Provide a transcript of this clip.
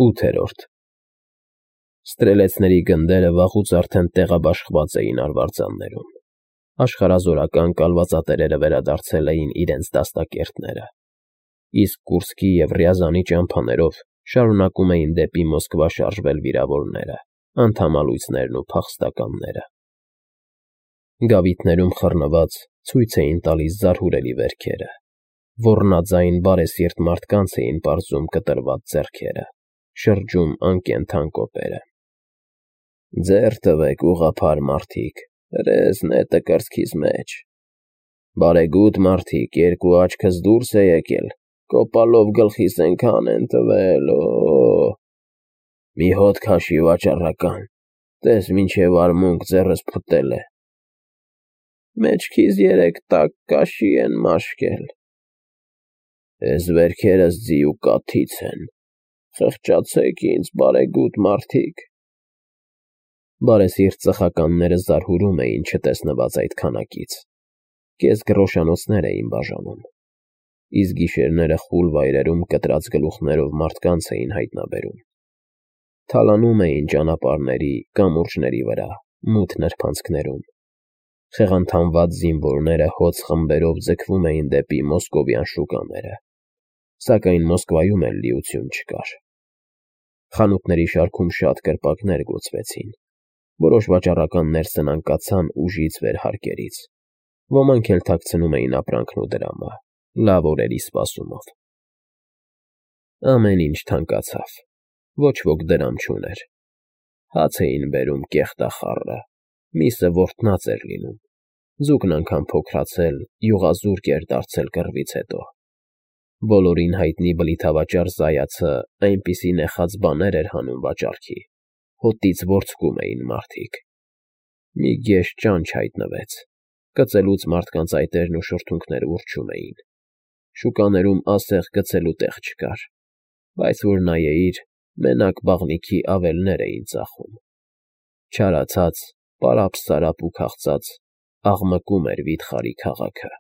8-րդ Ստրելեցների գնդերը վաղուց արդեն տեղաբաշխված էին արվարձաններում, աշխարհազորական կալվածատերերը վերադարձել էին իրենց դաստակերտները, իսկ Կուրսկի և Ռյազանի ճամփաներով շարունակում էին դեպի Մոսկվա շարժվել վիրավորները, անդամալույսներն ու փախստականները։ Գավիթներում խռնված ցույց էին տալիս զարհուրելի վերքերը, ոռնաձայն բարեսիրտ մարդկանց էին պարզում կտրված ձեռքերը, շրջում անկենդան կոպերը։ Ձեռ տվեք, ուղղափառ մարդիկ, հրես նետը կրծքիս մեջ։ Բարեգութ մարդիկ, երկու աչքս դուրս է եկել, կոպալով գլխիս էնքան են տվել, մի հոտ քաշի վաճառական, տես մինչև արմունկ ձեռս փտել է։ Մեջքիս 3 տակ կաշի են մաշկել։ Էս վերքերս ձի ու կաթից են, խղճացեք ինձ, բարեգութ մարդիկ։ Բարեսիրտ ծխականները զարհուրում էին չտեսնված այդ քանակից, կեսգռոշանոցներ էին բաժանում, իսկ գիշերները խուլ վայրերում կտրած գլուխներով մարդկանց էին հայտնաբերում, թալանում էին ճանապարհների, կամուրջների վրա, մութ նրբանցքներում, խեղանթանված զինվորները հոծ խմբերով ձգվում էին դեպի մոսկովյան շուկաները, սակայն Մոսկվայում էլ լիություն չկար։ Խանութների շարքում շատ կրպակներ գոցվեցին, որոշ վաճառականներ սնանկացան ուժից վեր հարկերից, ոմանք էլ թաքցնում էին ապրանքն ու դրամը, լավ օրերի սպասումով։ Ամեն ինչ թանկացավ, ոչ ոք դրամ չուներ, հաց էին բերում կեղտախառը, միսը որթնած էր լինում, ձուկն անգամ փոքրացել, յուղազուրկ էր դարձել կռվից հետո։ Բոլորին հայտնի բլիթավաճառ Զայացը այնպիսի նեխած բաներ էր հանում վաճառքի, հոտից որդսկում էին մարդիկ։ Մի գեշ ճանճ հայտնվեց, կծելուց մարդկանց այտերն ու շրթունքները ուռչում էին, շուկաներում ասեղ գցելու տեղ չկար, բայց որ նայեիր, մենակ բաղնիքի ավելներ էին ծախում։ Չարացած, պարապ֊սարապ ու քաղցած աղմկում էր վիթխարի քաղաքը։